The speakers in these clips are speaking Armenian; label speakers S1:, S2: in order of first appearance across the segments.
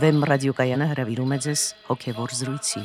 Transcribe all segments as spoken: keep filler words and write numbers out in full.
S1: Վեմ ռադիոկայանը հրավիրում է ձեզ հոգևոր զրույցի։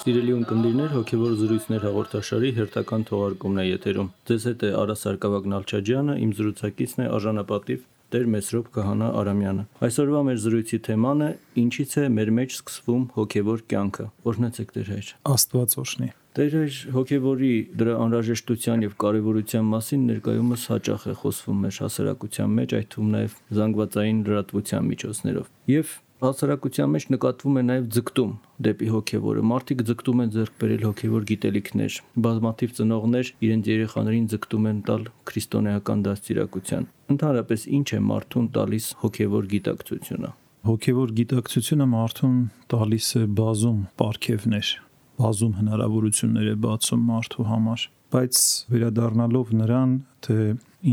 S2: Սիրելի ունկնդիրներ, հոգևոր զրույցներ հաղորդաշարի հերթական թողարկումն է եթերում։ Ձեզ հետ է Արա Սարգսակյան Նալչաջյանը, իմ զրուցակիցն է արժանապատիվ Տեր Մեսրոպ Քահանա Արամյանը։ Այսօրվա մեր զրույցի թեման է ինչից է մեր մեջ սկսվում հոգևոր կյանքը։ Օրհնեցեք Տեր Հայր։
S3: Աստված օրհնի։
S2: Տեր Հայր, հոգևորի դրա անհրաժեշտության եւ կարեւորության մասին ներկայումս հաճախ է խոսվում մեր հասարակության մեջ, այդ թվում նաեւ զանգվածային լրատվության միջոցներով։ Եվ հասարակության մեջ նկատվում է նաև ձգտում դեպի հոգևորը։ Մարդիկ ձգտում են ձեռք բերել հոգևոր գիտելիքներ։ Բազմաթիվ ծնողներ իրենց երեխաներին ձգտում են տալ քրիստոնեական դաստիարակության։ Ընդհանրապես ինչ է մարդուն տալիս հոգևոր գիտակցությունը։
S3: Հոգևոր գիտակցությունը մարդուն տալիս է բազում պարգևներ, բազում հնարավորություններ է բացում մարդու համար, բայց վերադառնալով նրան, թե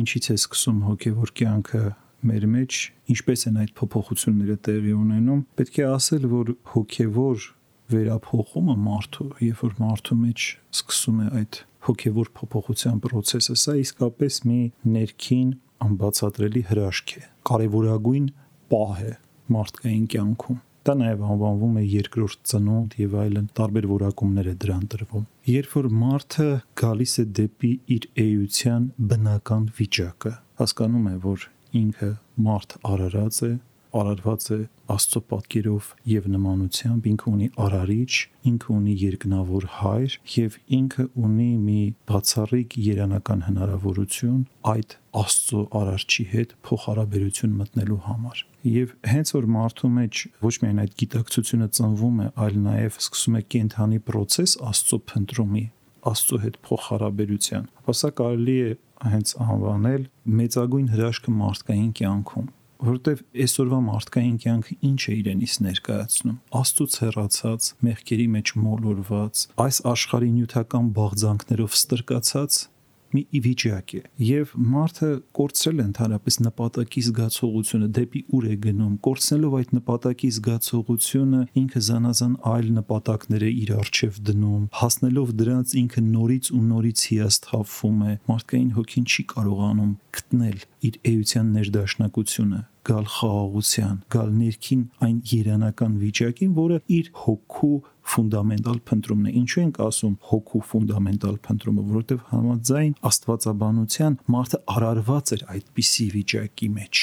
S3: ինչից է սկսում հոգևոր կյանքը մեր մեջ, ինչպես են այդ փոփոխությունները տեղի ունենում, պետք է ասել, որ հոգևոր վերափոխումը մարդու, երբ որ մարդու մեջ սկսում է այդ հոգևոր փոփոխության process-ը, սա իսկապես մի ներքին անբացատրելի հրաշք է, կարևորագույն պահ է մարդկային կյանքում։ Դա նաև անվանվում է երկրորդ ծնունդ եւ այլն, տարբեր որակումներ է դրան տրվում։ Երբ որ մարդը գալիս է դեպի իր էության բնական վիճակը, հասկանում է, որ ինքը մարդ արարած է, արարված է Աստծո պատկերով եւ նմանությամբ, ինքը ունի արարիչ, ինքը ունի երկնավոր հայր եւ ինքը ունի մի բացառիկ երանական հնարավորություն այդ Աստծո արարչի հետ փոխհարաբերություն մտնելու համար։ Եվ հենց որ մարդու մեջ ոչ միայն այդ գիտակցությունը ծնվում է, այլ նաեւ սկսում է կենթանի process Աստծո փնտրումի, Աստծո հետ փոխհարաբերության, ապա սա կարելի է հենց անվանել մեծագույն հրաշքը մարդկային կյանքում, որովհետև այսօրվա մարդկային կյանքը ինչ է իրենից ներկայացնում։ Աստծուց հեռացած, մեղքերի մեջ մոլորված, այս աշխարհի նյութական բաղձանքներով ստրկացած մի վիճակ է, եւ մարդը կորցրել է ընդհանրապես նպատակի զգացողությունը, դեպի ուր է գնում, կորցնելով այդ նպատակի զգացողությունը ինքը զանազան այլ նպատակներ է իր առջև դնում, հասնելով դրանց ինքը նորից ու նորից հիասթափվում է, մարդկային հոգին չի կարողանում գտնել իր էության ներդաշնակությունը, գալ խաղաղության, գալ ներքին այն երանական վիճակին, որը իր հոգու ֆունդամենտալ փնտրումն է։ Ինչու ենք ասում հոգու ֆունդամենտալ փնտրումը, որովհետև համաձայն աստվածաբանության մարդը արարված էր այդպիսի վիճակի մեջ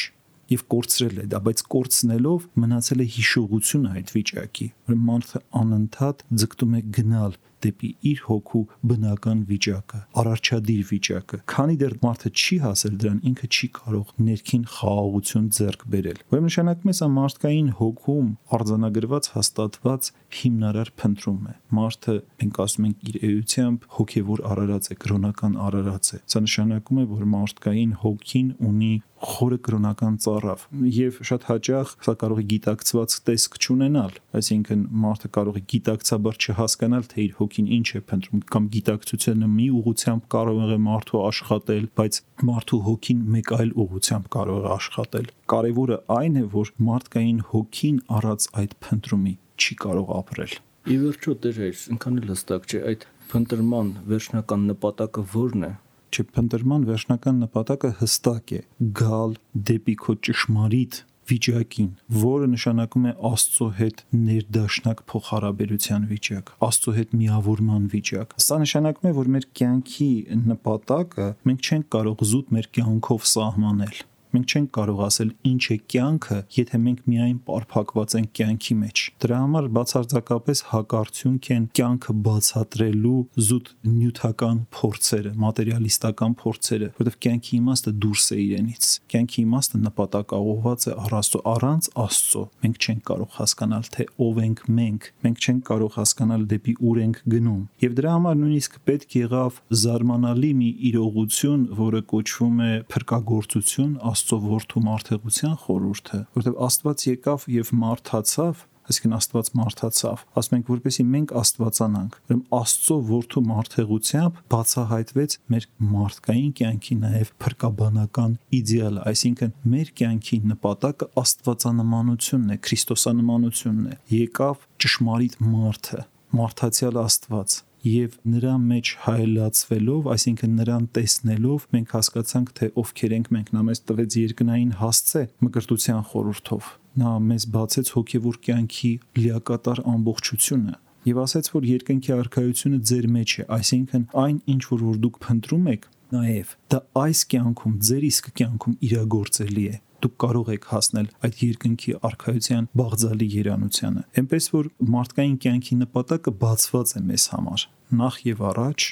S3: եւ կորցրել է դա, բայց կորցնելով մնացել է հիշողությունը այդ վիճակի, որ մարդը անընդհատ ձգտում է գնալ դեպի իր հոգու բնական վիճակը, արարչադիր վիճակը։ Քանի դեռ մարդը չի հասել դրան, ինքը չի կարող ներքին խաղաղություն ձեռք բերել։ Ուրեմն նշանակում է սա մարդկային հոգում արձանագրված, հաստատված հիմնարար փնտրում է։ Մարդը, մենք ասում ենք, իր էությամբ հոգևոր արարած է, կրոնական արարած է։ Սա նշանակում է, որ մարդկային հոգին ունի խորը կրոնական ծառավ եւ շատ հաճախ սա կարող է գիտակցված տեսք չունենալ, այսինքն մարդը կարող է գիտակցաբար չհասկանալ, թե իր հոգին ինչ է փնտրում, կամ գիտակցությունը մի ուղղությամբ կարող է մարդու աշխատել, բայց մարդու հոգին մեկ այլ ուղղությամբ կարող է աշխատել։ Կարևորը այն է, որ մարդկային հոգին առած այդ փնտրումի չի կարող ապրել։
S2: Ի վերջո Տեր Հայր, ինքան էլ հստակ չէ այդ փնտրման վերջնական նպատակը ո՞րն է։
S3: Չէ, փնտրման վերջնական նպատակը հստակ է՝ գալ դեպի քո ճշմարիտ վիճակին, որը նշանակում է Աստծո հետ ներդաշնակ փոխհարաբերության վիճակ, Աստծո հետ միավորման վիճակ։ Սա նշանակում է, որ մեր կյանքի նպատակը մենք չենք կարող զուտ մեր կյանքով սահմանել։ Մենք չենք կարող ասել ինչ է կյանքը, եթե մենք միայն պարփակված ենք կյանքի մեջ։ Դրա համար բացարձակապես հակարդյունք են կյանքը բացատրելու զուտ նյութական փորձերը, մատերիալիստական փորձերը, որովհետև կյանքի իմաստը դուրս է իրենից։ Կյանքի իմաստը նպատակաուղղված է առ Աստծո, առանց Աստծո մենք չենք կարող հասկանալ, թե ով ենք մենք, մենք չենք կարող հասկանալ դեպի ուր ենք գնում։ Եվ դրա համար նույնիսկ պետք եղավ զարմանալի մի իրողություն, որը կոչվում է փրկagorցություն, Աստծո որդու մարդեղության խորհուրդը, որովհետև Աստված եկավ եւ մարդացավ, այսինքն Աստված մարդացավ, ասում ենք, որպեսզի մենք աստվածանանք։ Ուրեմն Աստծո որդու մարդեղությամբ բացահայտվեց մեր մարդկային կյանքի նաև փրկաբանական իդեալը, այսինքն մեր կյանքի նպատակը աստվածանմանությունն է, քրիստոսանմանությունն է։ Եկավ ճշմարիտ մարդը, մարդացյալ Աստված, եւ նրա մեջ հայելացվելով, այսինքն նրան տեսնելով, մենք հասկացանք, թե ովքեր ենք մենք։ Նա մեզ տվեց երկնային հասցե մկրտության խորհրդով։ Նա մեզ բացեց հոգևոր կյանքի լիակատար ամբողջությունը եւ ասաց, որ երկնքի արքայությունը ձեր մեջ է, այսինքն այն ինչ որ որ դուք փնտրում եք, նաեւ դա այս կյանքում, ձեր իսկ կյանքում իրագործելի է։ Դուք կարող եք հասնել այդ երկնքի արքայության բաղձալի երանությանը։ Էնպես որ մարդկային կյանքի նպատակը բացված է մեզ համար։ Նախ եւ առաջ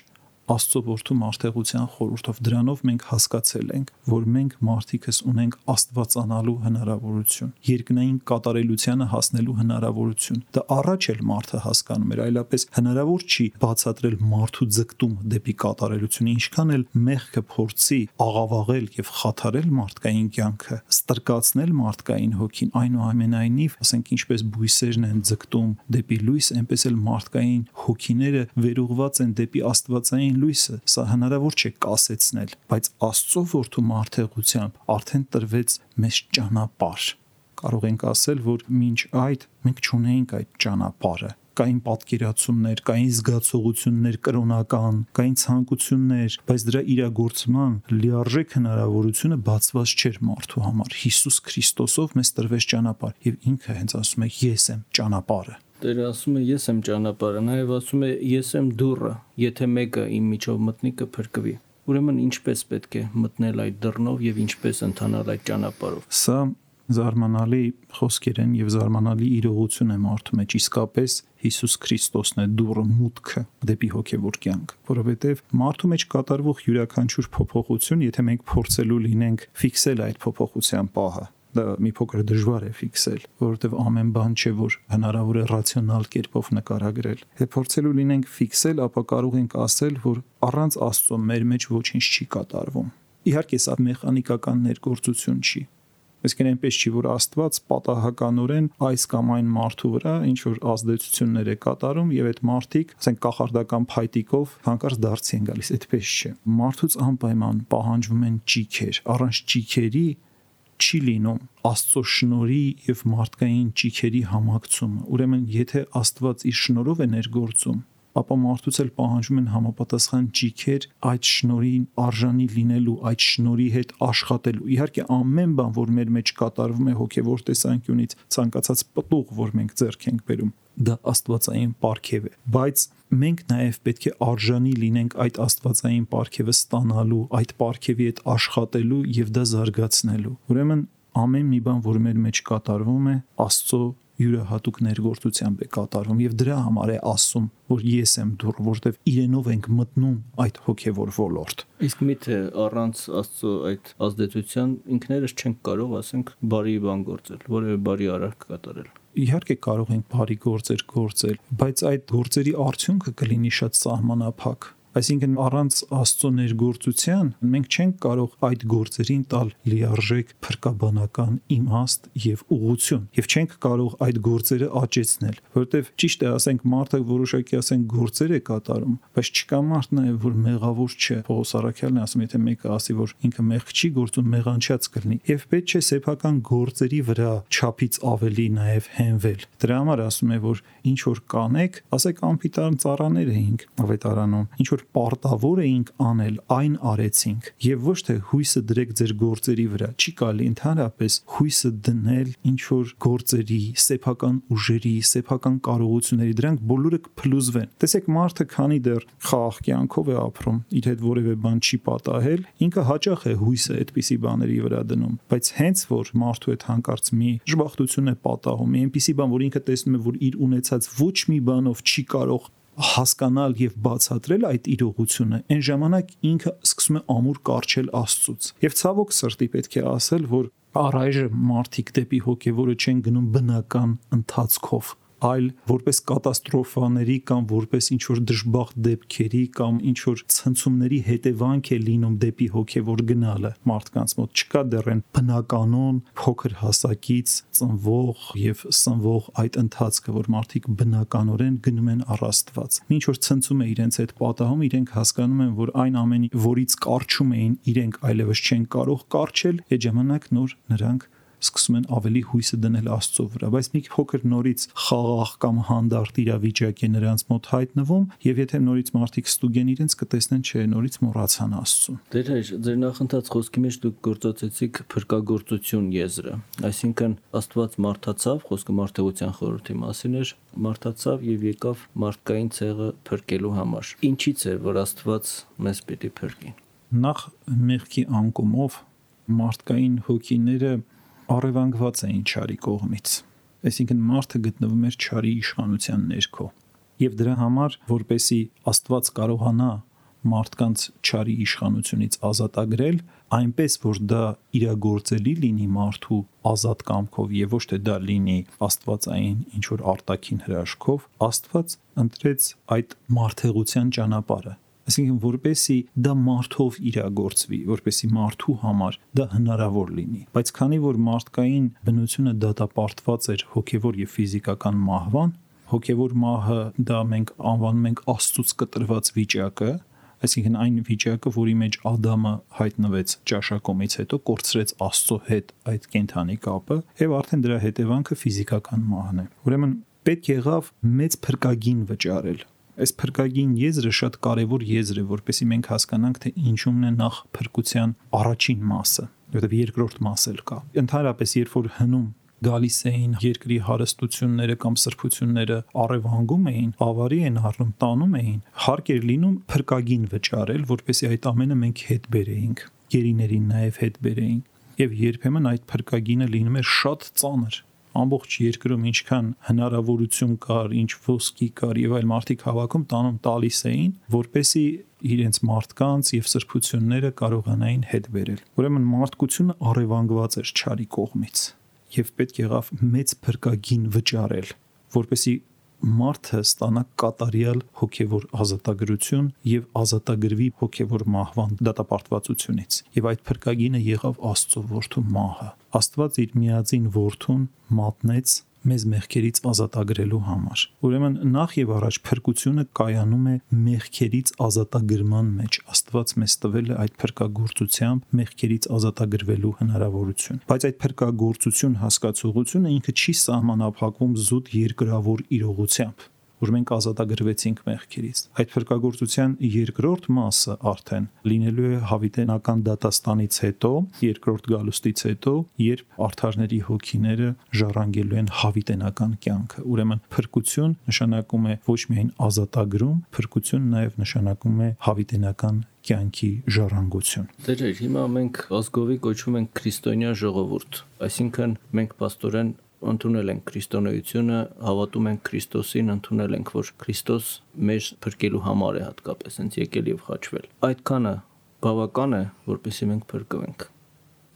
S3: Աստծո որդու մարդեղության խորհրդով դրանով մենք հասկացել ենք, որ մենք մարդիկս ունենք աստվածանալու հնարավորություն, երկնային կատարելությանը հասնելու հնարավորություն։ Դա առաջ էլ մարդը հասկանում էր, այլապես հնարավոր չի բացատրել մարդու ձգտում դեպի կատարելությունը, ինչքան էլ մեղքը փորձի աղավաղել եւ խաթարել մարդկային կյանքը, ստրկացնել մարդկային հոգին, այնուամենայնիվ, ասենք ինչպես բույսերն են ձգտում դեպի լույս, այնպես էլ մարդկային հոգիները վերուղված են դեպի աստվածային լույսը, սա հնարավոր չէ կասեցնել, բայց Աստծո որդու մարդեղությամբ արդեն տրվեց մեզ ճանապարհ։ Կարող ենք ասել, որ մինչ այդ մենք չունեինք այդ ճանապարհը։ Կային պատկերացումներ, կային զգացողություններ կրոնական, կային ցանկություններ, բայց դրա իրագործման լիարժեք հնարավորությունը բացված չէր մարդու համար։ Հիսուս Քրիստոսով մեզ տրվեց ճանապարհ, եւ ինքը հենց ասում է՝ ես եմ ճանապարհը։
S2: Տերը ասում է ես եմ ճանապարհը, նաև ասում է ես եմ դուռը, եթե մեկը իմ միջով մտնի կփրկվի։ Ուրեմն ինչպես պետք է մտնել այդ դռնով եւ ինչպես ընթանալ այդ ճանապարհով։
S3: Սա զարմանալի խոսքեր են եւ զարմանալի իրողություն է մարդու մեջ, իսկապես Հիսուս Քրիստոսն է դուռը, մուտքը դեպի հոգևոր կյանք, որովհետեւ մարդու մեջ կատարվող յուրաքանչյուր փոփոխություն, եթե մենք փորձելու լինենք ֆիքսել այդ փոփոխության պահը, դա մի փոքր դժվար է ֆիքսել, որովհետև ամեն բան չէ, որ հնարավոր է ռացիոնալ կերպով նկարագրել։ Եթե փորձելու լինենք ֆիքսել, ապա կարող ենք ասել, որ առանց Աստծո մեր մեջ ոչինչ չի կատարվում։ Իհարկե, սա մեխանիկական ներգործություն չի։ Այսինքն այնպես չի, որ Աստված պատահականորեն այս կամ այն մարդու վրա ինչ որ ազդեցություններ է կատարում եւ այդ մարդիկ, ասենք կախարդական փայտիկով հանկարծ դարձի են գալիս, այդպես չէ։ Մարդուց անպայման պահանջվում են ճիքեր, առանց ճիքերի չի լինում Աստծո շնորհի եւ մարդկային ճիքերի համակցումը։ Ուրեմն, եթե Աստված իր շնորհով է ներգործում, ապա մարդուց էլ պահանջում են համապատասխան ճիքեր այդ շնորհին արժանի լինելու, այդ շնորհի հետ աշխատելու։ Իհարկե, ամեն բան, որ մեր մեջ կատարվում է հոգևոր տեսանկյունից, ցանկացած պտուղ, որ մենք ձեռք ենք բերում, դա աստվածային պարգև է, բայց մենք նաև պետք է արժանի լինենք այդ աստվածային պարգևը ստանալու, այդ պարգևի հետ աշխատելու եւ դա զարգացնելու։ Ուրեմն ամեն մի բան, որ մեր մեջ կատարվում է, Աստծո յուրահատուկ ներգործությամբ է կատարվում եւ դրա համար է ասում, որ ես եմ դուռը, որտեվ իրենով ենք մտնում այդ հոգևոր ոլորտ։
S2: Իսկ միթե առանց Աստծո այդ ազդեցության ինքներս չենք կարող, ասենք, բարի բան գործել, որևէ բարի արարք կատարել։
S3: Իհարկե կարող ենք բարի գործեր գործել, բայց այդ գործերի արդյունքը կլինի շատ սահմանափակ։ Այսինքն առանց Աստծո ներգործության մենք չենք կարող այդ գործերին տալ լիարժեք փրկաբանական իմաստ եւ ուղղություն եւ չենք կարող այդ գործերը աճեցնել, որովհետեւ ճիշտ է, ասենք մարդը որոշակի ասենք գործեր է կատարում, բայց չկա մարդ նաեւ որ մեղավոր չէ։ Պողոս առաքյալն է ասում, եթե մեկը ասի, որ ինքը մեղք չի գործում, մեղանչած կլինի եւ պետք չէ սեփական գործերի վրա չափից ավելի նաեւ հենվել։ Դրա համար ասում է, որ ինչ որ կանեք, ասեք անպիտան ծառաներ էինք ավետարանում, ինչ որ պարտավոր էինք անել, այն արեցինք եւ ոչ թե հույսը դրեք ձեր գործերի վրա։ Չի կարելի ընդհանրապես հույսը դնել ինչ որ գործերի, սեփական ուժերի, սեփական կարողությունների, դրանք բոլորը կփլուզվեն։ Տեսեք, մարդը քանի դեռ խաղաղ կյանքով է ապրում, իր հետ որևէ բան չի պատահել, ինքը հաճախ է հույսը այդպիսի բաների վրա դնում, բայց հենց որ մարդու հետ հանկարծ մի ժբախտություն է պատահում, մի այնպիսի բան, որ ինքը տեսնում է, որ իր ունեցած ոչ մի բանով չի կարող հասկանալ եւ բացատրել այդ իրողությունը, այն ժամանակ ինքը սկսում է ամուր կարճել Աստծուց։ Եվ ցավոք սրտի պետք է ասել, որ առայժմ մարդիկ դեպի հոգեվորը չեն գնում բնական ընթացքով, այլ որպես կատաստրոֆաների կամ որպես ինչ որ դժբախտ դեպքերի կամ ինչ որ ցնցումների հետևանք է լինում դեպի հոգևոր գնալը մարդկանց մոտ։ Չկա դեռ այն բնականon փոքր հասակից ծնվող եւ սնվող այդ ընթացքը, որ մարդիկ բնականորեն գնում են առ Աստված։ Ինչ որ ցնցում է իրենց հետ պատահում, իրենք հասկանում են, որ այն ամենի, որից կարճում էին իրենք այլևս չեն կարող կարճել, այդ ժամանակ նոր նրանք սկսում են ավելի հույսը դնել Աստծո վրա, բայց մի փոքր նորից խաղաղ կամ հանդարտ իրավիճակ է նրանց մոտ հայտնվում, եւ եթե նորից մարդիկ ստուգեն իրենց, կտեսնեն, չէ, նորից մոռացան Աստծուն։
S2: Դեր հայր, ձեր նախընթաց խոսքի մեջ դուք գործածեցիք փրկagorցություն եզրը, այսինքն Աստված մարդացավ, խոսքը մարդեղության խորհրդի մասին էր, մարդացավ եւ եկավ մարդկային ցեղը փրկելու համար։ Ինչից է, որ Աստված մեզ պիտի փրկի։
S3: Նախ մեղքի անկումով մարդկային հոգիները առևանգված էին չարի կողմից, այսինքն մարդը գտնվում էր չարի իշխանության ներքո, եւ դրա համար, որպեսի Աստված կարողանա մարդկանց չարի իշխանությունից ազատագրել, այնպես որ դա իրագործելի լինի մարդու ազատ կամքով եւ ոչ թե դա լինի աստվածային ինչ որ արտաքին հրաշքով, Աստված ընտրեց այդ մարդեղության ճանապարհը, այսինքն որպեսի դա մարդով իրագործվի, որպեսի մարդու համար դա հնարավոր լինի, բայց քանի որ մարդկային բնությունը դատապարտված էր հոգեվոր եւ ֆիզիկական մահվան, հոգեվոր մահը դա մենք անվանում ենք Աստծուց կտրված վիճակը, այսինքն այն վիճակը, որի մեջ Ադամը հայտնվեց ճաշակումից հետո, կորցրեց Աստծո հետ այդ կենդանի կապը, եւ արդեն դրա հետևանքը ֆիզիկական մահն է։ Ուրեմն պետք եղավ մեծ փրկագին վճարել։ Այս փրկագին եզրը շատ կարևոր եզր է, որպեսզի մենք հասկանանք, թե ինչումն է նախ փրկության առաջին մասը, որովհետեւ երկրորդ մաս էլ կա։ Ընդհանրապես, երբ որ հնում գալիս էին երկրի հարստությունները կամ սրբությունները առևանգում էին, ավարի են առնում, տանում էին, հարկ էր լինում փրկագին վճարել, որպեսզի այդ ամենը մենք հետ բերեինք, գերիներին նաև հետ բերեինք, եւ երբեմն այդ փրկագինը լինում էր շատ ծանր։ Ամբողջ երկրում ինչքան հնարավորություն կար, ինչ ոսկի կար եւ այլ մարդիկ հավաքում տանում տալիս էին, որպեսզի իրենց մարդկանց եւ սրբությունները կարողանային հետ բերել։ Ուրեմն մարդկությունը առևանգված էր չարի կողմից եւ պետք եղավ մեծ փրկագին վճարել, որպեսզի մարդը ստանա կատարյալ հոգեվոր ազատագրություն եւ ազատագրվի հոգեվոր մահվան դատապարտվածությունից։ Եվ այդ փրկագինը եղավ Աստծո որդու մահը։ Աստված իր միածին որդուն մատնեց մեզ մեղքերից ազատագրելու համար։ Ուրեմն նախ եւ առաջ փրկությունը կայանում է մեղքերից ազատագրման մեջ։ Աստված մեզ տվել է այդ փրկagorցությամբ մեղքերից ազատագրվելու հնարավորություն։ Բայց այդ փրկagorցություն հասկացողությունը ինքը չի սահմանափակվում զուտ երկրավոր իրողությամբ, որ մենք ազատագրվեցինք մեղքերից։ Այդ փրկagorցության երկրորդ մասը արդեն լինելու է հավիտենական դատաստանից հետո, երկրորդ գալուստից հետո, երբ արդարների հոգիները ժառանգելու են հավիտենական կյանքը։ Ուրեմն փրկություն նշանակում է ոչ միայն ազատագրում, փրկություն նաև նշանակում է հավիտենական կյանքի ժառանգություն։
S2: Դեր հիմա մենք ազգովի կոչվում ենք քրիստոնյա ժողովուրդ, այսինքն մենք պաստորեն ընդունել ենք քրիստոնեությունը, հավատում ենք Քրիստոսին, ընդունել ենք, որ Քրիստոս մեզ փրկելու համար է հատկապես հենց եկել եւ խաչվել։ Այդքանը բավական է, որպեսզի մենք փրկվենք։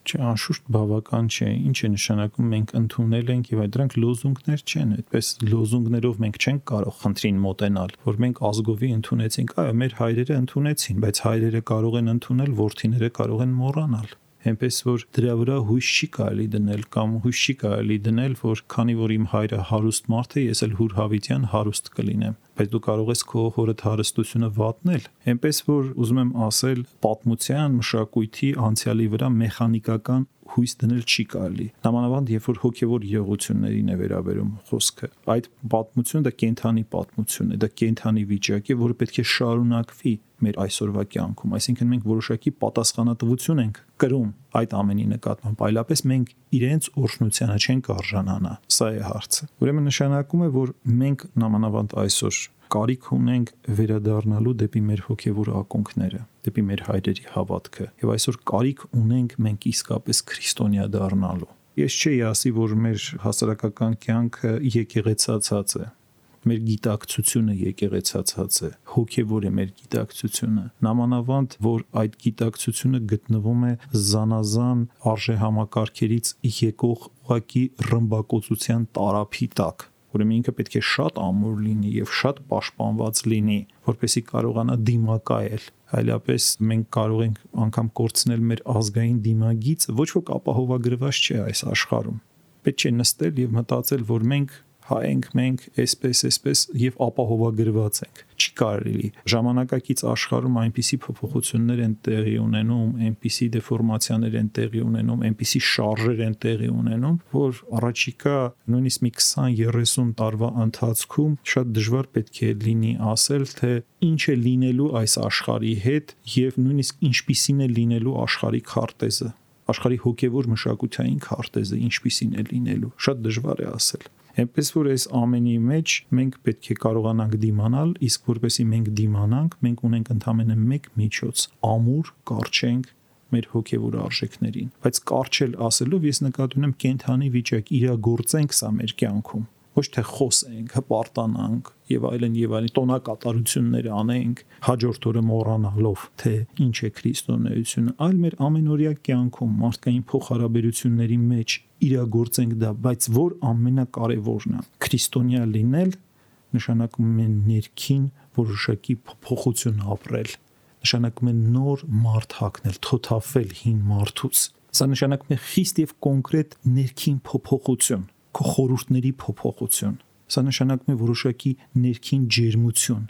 S3: Չէ, անշուշտ բավական չէ։ Ինչ է նշանակում մենք ընդունել ենք եւ այդ դրանք լոզունգներ չեն, այդպես լոզունգներով մենք չենք կարող խնդրին մոտենալ, որ մենք ազգովի ընդունեցինք, այո, մեր հայրերը ընդունեցին, բայց հայրերը կարող են ընդունել, որդիները կարող են մոռանալ։ Այնպես որ դրա վրա հույս չի կարելի դնել կամ հույս չի կարելի դնել, որ քանի որ իմ հայրը հարուստ մարդ է, ես էլ հուր հավիտյան հարուստ կլինեմ, բայց դու կարող ես քո հորդ հարստությունը վատնել։ Այնպես որ ուզում եմ ասել, պատմության, մշակույթի, անցյալի վրա մեխանիկական հույս դնել չի կարելի։ Նամանավանդ երբ որ հոգևոր իրողություններին է վերաբերում խոսքը, այդ պատմությունը դա կենթանի պատմություն է, դա կենթանի վիճակ է, որը պետք է շարունակվի մեր այսօրվա կյանքում, այսինքն մենք որոշակի պատասխանատվություն ենք կրում այդ ամենի նկատմամբ, այլապես մենք իրենց օրհնությանը չենք արժանանա։ Սա է հարցը։ Ուրեմն նշանակում է, որ մենք նամանավանդ այսօր կարիք ունենք վերադառնալու դեպի մեր հոգևոր ակունքները, դեպի մեր հայրերի հավատքը, եւ այսօր կարիք ունենք մենք իսկապես քրիստոնյա դառնալու։ Ես չէի ասի, որ մեր հասարակական կյանքը եկեղեցացած է, մեր գիտակցությունը եկեղեցացած է, հոգևոր է մեր գիտակցությունը, նամանավանդ, որ այդ գիտակցությունը գտնվում է զանազան արժեհամակարգերից եկող ուղղակի ռմբակոծության տարափի տակ, ուրեմն ինքը պետք է շատ ամուր լինի եւ շատ պաշտպանված լինի, որպեսզի կարողանա դիմակայել, այլապես մենք կարող ենք անգամ կորցնել մեր ազգային դիմագիծը, ոչ ոք ապահովագրված չէ այս աշխարհում։ Պետք չէ նստել եւ մտածել, որ մենք հայ ենք մենք, այսպես, այսպես եւ ապահովագրված ենք։ Չի կարելի։ Ժամանակակից աշխարհում այնպիսի փոփոխություններ են տեղի ունենում, այնպիսի դեֆորմացիաներ են տեղի ունենում, այնպիսի շարժեր են տեղի ունենում, որ առաջիկա նույնիսկ մի քսան երեսուն տարվա ընթացքում շատ դժվար պետք է լինի ասել, թե ինչ է լինելու այս աշխարհի հետ եւ նույնիսկ ինչպիսին է լինելու աշխարհի քարտեզը, աշխարհի հոգեվոր մշակութային քարտեզը ինչպիսին է լինելու։ Շատ դժվար է ասել։ Այնպես որ այս ամենի մեջ մենք պետք է կարողանանք դիմանալ, իսկ որպեսզի մենք դիմանանք, մենք ունենք ընդամենը մեկ միջոց՝ ամուր կարճենք մեր հոգևոր արժեքներին։ Բայց կարճել ասելով ես նկատի ունեմ կենթանի վիճակ, իրագործենք սա մեր կյանքում։ Ոչ թե խոսենք, հպարտանանք եւ այլն եւ այլն տոնակատարություններ անենք, հաջորդ օրը մոռանալով, թե ինչ է քրիստոնեությունը, այլ մեր ամենօրյա կյանքում մարդկային փոխհարաբերությունների մեջ իրագործենք դա, բայց որ ամենակարևորն է, քրիստոնյա լինել նշանակում է ներքին որոշակի փոփոխություն ապրել, նշանակում է նոր մարդ հագնել, թոթափվել հին մարդուց։ Սա նշանակում է խիստ եւ կոնկրետ ներքին փոփոխություն, քո խորհուրդների փոփոխություն։ Սա նշանակում է որոշակի ներքին ջերմություն,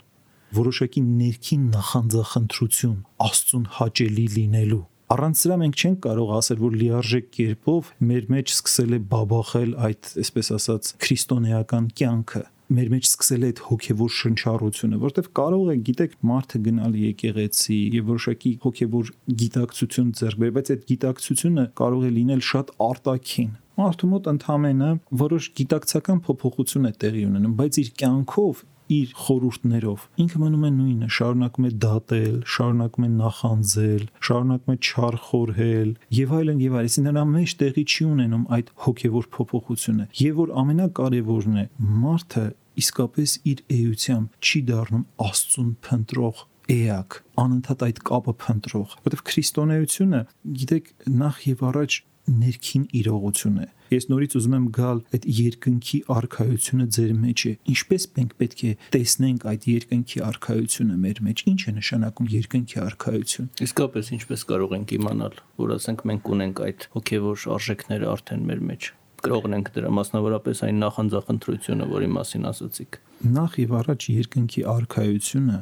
S3: որոշակի ներքին նախանձախնդրություն, Աստծուն հաճելի լինելու։ Առանց սրա մենք չենք կարող ասել, որ լիարժեք կերպով մեր մեջ սկսել է բաբախել այդ, այսպես ասած, քրիստոնեական կյանքը։ Մեր մեջ սկսել է այդ հոգևոր շնչառությունը, որտեղ կարող է, գիտեք, մարդը գնալ եկեղեցի եւ որոշակի հոգևոր գիտակցություն ձեռք բերել, բայց այդ գիտակցությունը կարող է լինել շատ արտաքին։ Մարդու մոտ ընդհանրապես որոշ գիտակցական փոփոխություն է տեղի ունենում, բայց իր կյանքով, իր խորհուրդներով ինքը մնում է նույնը, շարունակում է դատել, շարունակում է նախանձել, շարունակում է չարխորհել եւ այլն եւ այլն։ Նրա մեջ տեղի չի ունենում այդ հոգեվոր փոփոխությունը։ Եվ որ ամենակարևորն է, մարդը իսկապես իր էությամբ չի դառնում Աստծուն փնտրող էակ, անընդհատ այդ կապը փնտրող, որովհետեւ քրիստոնեությունը, գիտեք, նախ եւ առաջ ներքին իրողություն է։ Ես նորից ուզում եմ գալ այդ երկնքի արքայությունը ձեր մեջ է։ Ինչպես մենք պետք է տեսնենք այդ երկնքի արքայությունը մեր մեջ։ Ինչ է նշանակում երկնքի արքայություն։
S2: Իսկապես ինչպես կարող ենք իմանալ, որ ասենք մենք ունենք այդ հոգևոր արժեքները արդեն մեր մեջ։ Կրողն ենք դրա, մասնավորապես այն նախանձախնդրությունը, որի մասին ասացիք։
S3: Նախ եւ առաջ երկնքի արքայությունը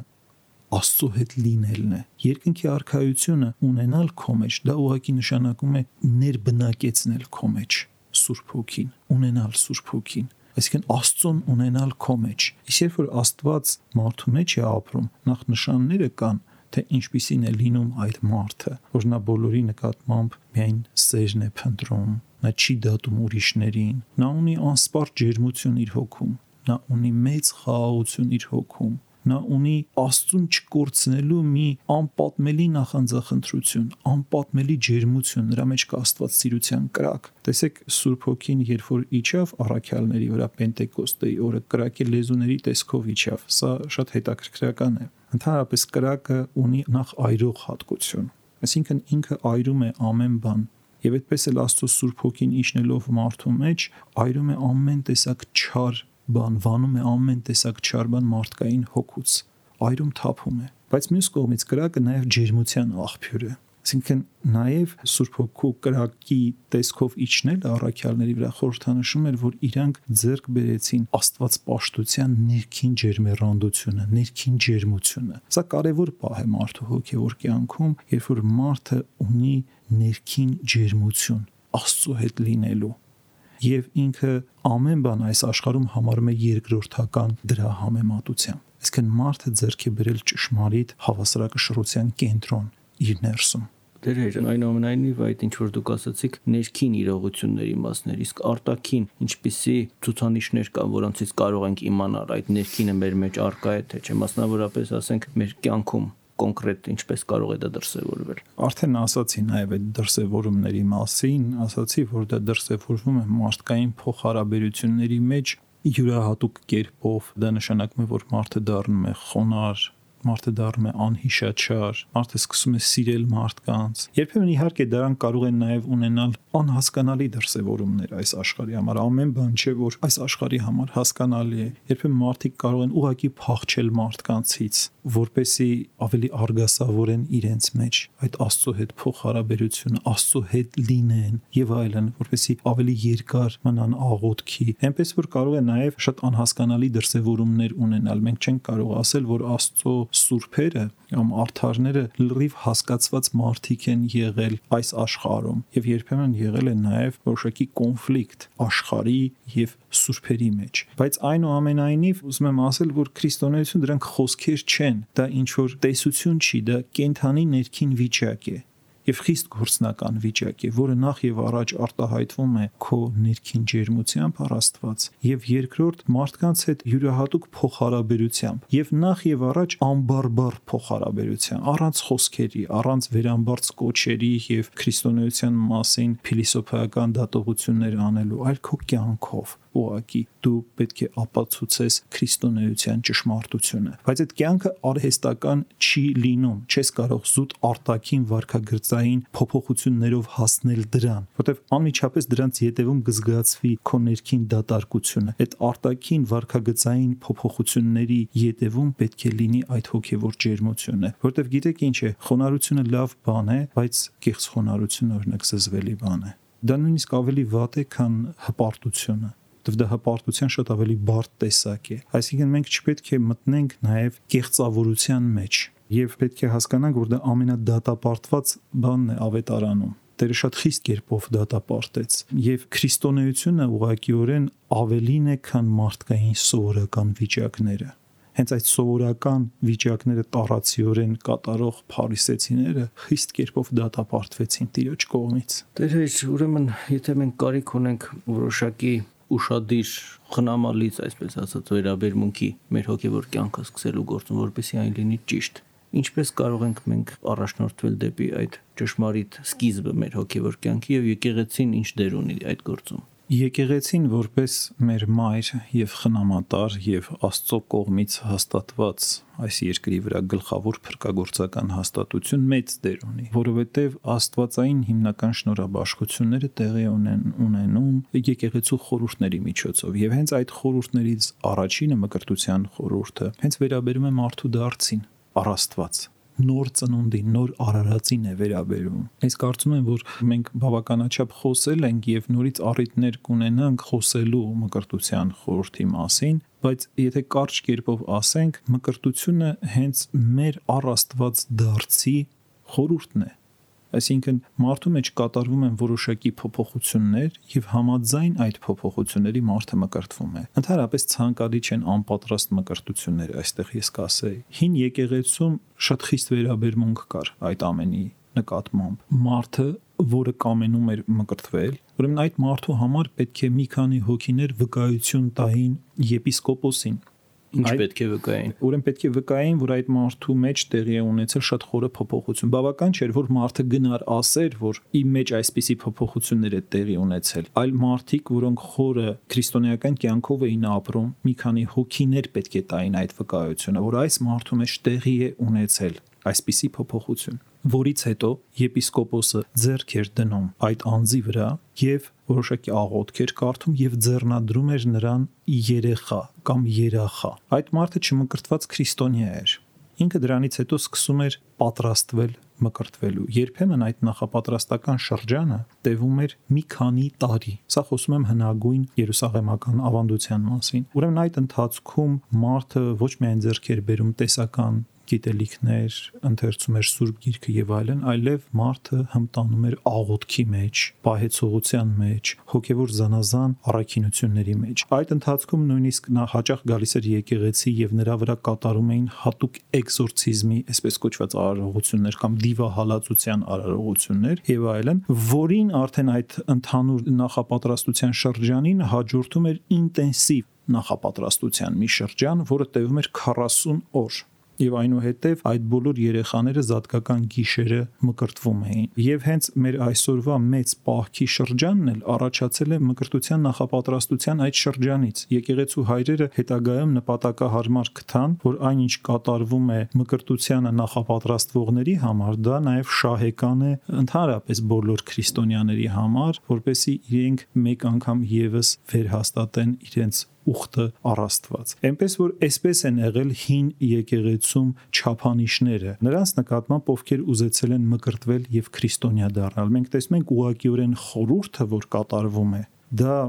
S3: Աստծո հետ լինելն է։ Երկնքի արքայությունը ունենալ քո մեջ, դա ուղղակի նշանակում է ներբնակեցնել քո մեջ Սուրբ Հոգին, ունենալ Սուրբ Հոգին, այսինքն Աստծուն ունենալ քո մեջ։ Իսկ երբ որ Աստված մարդու մեջ է ապրում, նախ նշանները կան, թե ինչպիսին է լինում այդ մարդը, որ նա բոլորի նկատմամբ միայն սերն է փնտրում, նա չի դատում ուրիշներին, նա ունի անսպառ ջերմություն իր հոգում, նա ունի մեծ խաղաղություն իր հոգում, նա ունի Աստծուն չկորցնելու մի անպատմելի նախանձախնդրություն, անպատմելի ջերմություն, նրա մեջ կա աստվածասիրության կրակ։ Տեսեք, Սուրբ Հոգին երբ որ իջավ առաքյալների վրա Պենտեկոստեի օրը, կրակի լեզուների տեսքով իջավ, սա շատ հետաքրքրական է։ Ընդհանրապես կրակը ունի նախ այրող հատկություն, այսինքն ինքը այրում է ամեն բան, եւ այդպես էլ Աստծո Սուրբ Հոգին իջնելով մարդու մեջ այրում է ամեն տեսակ չար բան, վանում է ամեն տեսակ չար բան մարդկային հոգուց, այրում թափում է։ Բայց մյուս կողմից կրակը նաև ջերմության աղբյուր է։ Այսինքն նաև Սուրբ Հոգու կրակի տեսքով իջնել առաքյալների վրա խորհրդանշում էր, որ իրանք ձեռք բերեցին աստվածպաշտության ներքին ջերմեռանդությունը, ներքին ջերմությունը։ Սա կարևոր պահ է մարդու հոգևոր կյանքում, երբ որ մարդը ունի ներքին ջերմություն Աստծո հետ լինելու եւ ինքը ամեն բան այս աշխարհում համարում է երկրորդական դրա համեմատությամբ։ Այսինքն մարդը ձեռք է բերել ճշմարիտ հավասարակշռության կենտրոն իր ներսում։
S2: Դեր այնուամենայնիվ այդ ինչ որ դուք ասացիք ներքին իրողությունների մասներ, իսկ արտաքին ինչպիսի ցուցանիշներ կան, որոնցից կարող ենք իմանալ այդ ներքինը մեր մեջ արկա է թե չէ, մասնավորապես ասենք մեր կյանքում կոնկրետ ինչպես կարող է դա դրսևորվել։
S3: Արդեն ասացի նաև այդ դրսևորումների մասին, ասացի, որ դա դրսևորվում է մարդկային փոխհարաբերությունների մեջ յուրահատուկ կերպով, դա նշանակում է, որ մարդը դառնում է խոնարհ, մարդը դառնում է անհիշաչար, մարդը սկսում է սիրել մարդկանց։ Երբեմն իհարկե դրան կարող են նաև ունենալ անհասկանալի դրսևորումներ այս աշխարհի համար։ Ամեն բան չէ, որ այս աշխարհի համար հասկանալի է։ Երբեմն մարդիկ կարող են ուղղակի փախչել մարդկանցից, որպեսզի ավելի արգասավորեն իրենց մեջ այդ Աստծո հետ փոխհարաբերությունը, Աստծո հետ լինեն եւ այլն, որպեսզի ավելի երկար մնան աղոթքի։ Այնպես որ կարող է նաև շատ անհասկանալի դրսևորումներ ունենալ։ Մենք չենք կարող ասել, որ Աստծո սուրբերը կամ արդարները լրիվ հասկացված մարդիկ են եղել այս աշխարհում եւ երբեմն եղել է նաև որոշակի կոնֆլիկտ աշխարհի եւ սուրբերի մեջ։ Բայց այնուամենայնիվ ուզում եմ ասել, որ քրիստոնեություն դրանք խոսքեր չեն, դա ինչ որ տեսություն չի, դա կենթանի ներքին վիճակ է եւ խիստ գործնական վիճակ է, որը նախ եւ առաջ արտահայտվում է քո ներքին ջերմությամբ առ Աստված եւ երկրորդ մարդկանց հետ յուրահատուկ փոխհարաբերությամբ եւ նախ եւ առաջ անբարբար փոխհարաբերության, առանց խոսքերի, առանց վերամբարձ կոչերի եւ քրիստոնեության մասին փիլիսոփայական դատողություններ անելու, այլ քո կյանքով ուղղակի դու պետք է ապացուցես քրիստոնեության ճշմարտությունը։ Բայց այդ կյանքը արհեստական չի լինում, չես կարող զուտ արտաքին վարքագծային փոփոխություններով հասնել դրան, որտեղ անմիջապես դրանց ետևում կզգացվի քո ներքին դատարկությունը։ Այդ արտաքին վարքագծային փոփոխությունների ետևում պետք է լինի այդ հոգևոր ջերմությունը, որտեղ գիտեք ինչ է, խոնարհությունը լավ բան է, բայց կեղծ խոնարհությունը օրինակ զզվելի բան է։ Դա նույնիսկ ավելի վատ է, քան հպարտությունը։ Դա հպարտության շատ ավելի բարդ տեսակ է։ Այսինքն մենք չպետք է մտնենք նաև կեղծավորության մեջ եւ պետք է հասկանանք, որ դա ամենադատապարտված բանն է ավետարանում։ Տերը շատ խիստ կերպով դատապարտեց եւ քրիստոնեությունը ուղղակիորեն ավելին է, քան մարդկային սովորական վիճակները։ Հենց այդ սովորական վիճակները տարածիորեն կատարող փարիսեցիները խիստ կերպով դատապարտվեցին Տիրոջ կողմից։
S2: Տեր, ուրեմն եթե մենք կարիք ունենք որոշակի ուշադիր խնամալից, այսպես ասած, վերաբերմունքի մեր հոգևոր կյանքը սկսելու գործում, որպեսզի այն լինի ճիշտ, ինչպես կարող ենք մենք առաջնորդվել դեպի այդ ճշմարիտ սկիզբը մեր հոգևոր կյանքի եւ եկեղեցին ինչ դեր ունի այդ գործում։
S3: Եկեղեցին որպես մեր մայր եւ խնամատար եւ Աստծո կողմից հաստատված այս երկրի վրա գլխավոր փրկagorցական հաստատություն մեծ դեր ունի, որովհետեւ աստվածային հիմնական շնորհաբաշխությունները տեղի ունեն ունենում եկեղեցու խորհուրդների միջոցով եւ հենց այդ խորհուրդներից առաջինը մկրտության խորհուրդը հենց վերաբերում է մարդու դարձին առ Աստված, նոր ծնունդին, նոր արարածին է վերաբերում։ Ես կարծում եմ, որ մենք բավականաչափ խոսել ենք եւ նորից առիթներ կունենանք խոսելու մկրտության խորհրդի մասին, բայց եթե կարճ կերպով ասենք, մկրտությունը հենց մեր առ Աստված դարձի խորհուրդն է։ Այսինքն մարդու մեջ կատարվում են որոշակի փոփոխություններ եւ համաձայն այդ փոփոխությունների մարդը մկրտվում է։ Ընդհանրապես ցանկալի չեն անպատրաստ մկրտությունները, այստեղ ես կասեի։ Հին եկեղեցում շատ խիստ վերաբերմունք կար այդ ամենի նկատմամբ։ Մարդը, որը կամենում էր մկրտվել, ուրեմն այդ մարդու համար պետք է մի քանի հոգիներ վկայություն տային եպիսկոպոսին։
S2: Ինչ պետք է վկային։
S3: Ուրեմն պետք է վկային, որ այդ մարդու մեջ տեղի է ունեցել շատ խորը փոփոխություն։ Բավական չէր, որ մարդը գնար ասեր, որ իմ մեջ այսպիսի փոփոխություններ է տեղի ունեցել, այլ մարդիկ, որոնք խորը քրիստոնեական կյանքով էին ապրում, մի քանի հոգիներ պետք է տային այդ վկայությունը, որ այս մարդու մեջ տեղի է ունեցել այսպիսի փոփոխություն, որից հետո եպիսկոպոսը ձեռք էր դնում այդ անձի վրա եւ որոշակի աղոթք էր կարդում եւ ձեռնադրում էր նրան երեխա կամ երախա։ Այդ մարդը չմկրտված քրիստոնյա էր։ Ինքը դրանից հետո սկսում էր պատրաստվել մկրտվելու։ Երբեմն այդ նախապատրաստական շրջանը տևում էր մի քանի տարի։ Սա խոսում եմ հնագույն երուսաղեմական ավանդության մասին։ Ուրեմն այդ ընթացքում մարդը ոչ միայն ձեռք էր բերում տեսական գիտելիքներ, ընթերցում էր Սուրբ Գիրքը եւ այլն, այլև մարդը հմտանում էր աղոթքի մեջ, պահեցողության մեջ, հոգեվոր զանազան առաքինությունների մեջ։ Այդ ընթացքում նույնիսկ նա հաճախ գալիս էր եկեղեցի եւ նրա վրա կատարում էին հատուկ էքզորցիզմի, այսպես կոչված արարողություններ կամ դիվահալածության արարողություններ եւ այլն, որին արդեն այդ ընդհանուր նախապատրաստության շրջանին հաջորդում էր ինտենսիվ նախապատրաստության մի շրջան, որը տևում էր քառասուն օր։ Եվ այնուհետև այդ բոլոր երեխաները զատկական գիշերը մկրտվում էին։ Եվ հենց մեր այսօրվա մեծ պահքի շրջանն էլ առաջացել է մկրտության նախապատրաստության այդ շրջանից։ Եկեղեցու հայրերը հետագայում նպատակահարմար գտան, որ այնինչ կատարվում է մկրտությանը նախապատրաստվողների համար, դա նաև շահեկան է ընդհանրապես բոլոր քրիստոնյաների համար, որպեսզի իրենք մեկ անգամ եւս վերհաստատեն իրենց ուխտը առաստված։ Էնպես որ այսպես են եղել հին եկեղեցում չափանիշները, նրանց նկատմամբ ովքեր ուզեցել են մկրտվել եւ քրիստոնյա դառնալ։ Մենք տեսնում ենք ուղղակիորեն խորհուրդը, որ կատարվում է, դա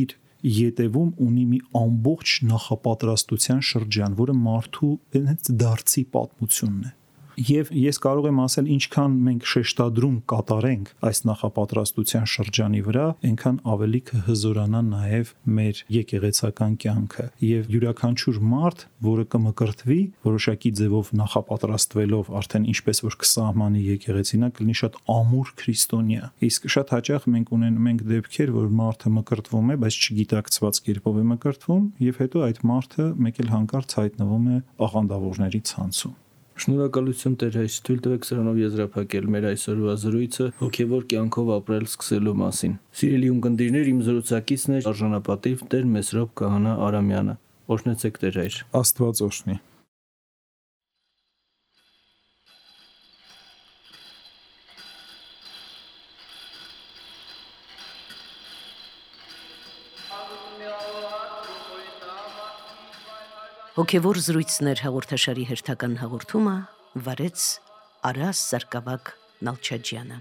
S3: իր ետևում ունի մի ամբողջ նախապատրաստության շրջան, որը մարդու հենց դարձի պատմությունն է։ Եվ ես կարող եմ ասել, ինչքան մենք շեշտադրում կատարենք այս նախապատրաստության շրջանի վրա, այնքան ավելի կհզորանա նաև մեր եկեղեցական կյանքը։ Եվ յուրաքանչյուր մարդ, որը կմկրտվի, որոշակի ձևով նախապատրաստվելով արդեն ինչպես որ կսահմանի եկեղեցին, կլինի շատ ամուր քրիստոնյա։ Իսկ շատ հաճախ մենք ունենում ենք դեպքեր, որ մարդը մկրտվում է, բայց չգիտակցված կերպով է մկրտվում, եւ հետո այդ մարդը մեկ էլ հանկարծ հայտնվում է աղանդավորների ցանցում։
S2: Շնորհակալություն Տեր հայր, թույլ տվեք սրանով եզրափակել մեր այսօրվա զրույցը հոգևոր կյանքով ապրել սկսելու մասին։ Սիրելի ունկնդիրներ, իմ զրուցակիցն է արժանապատիվ Տեր Մեսրոպ Քահանա Արամյանը։ Օրհնեցեք Տեր հայր։
S3: Աստված օրհնի։
S1: Հոգևոր զրույցներ հաղորդաշարի հերթական հաղորդումը վարեց Արաս Սարգսակ Նալչաջյանը։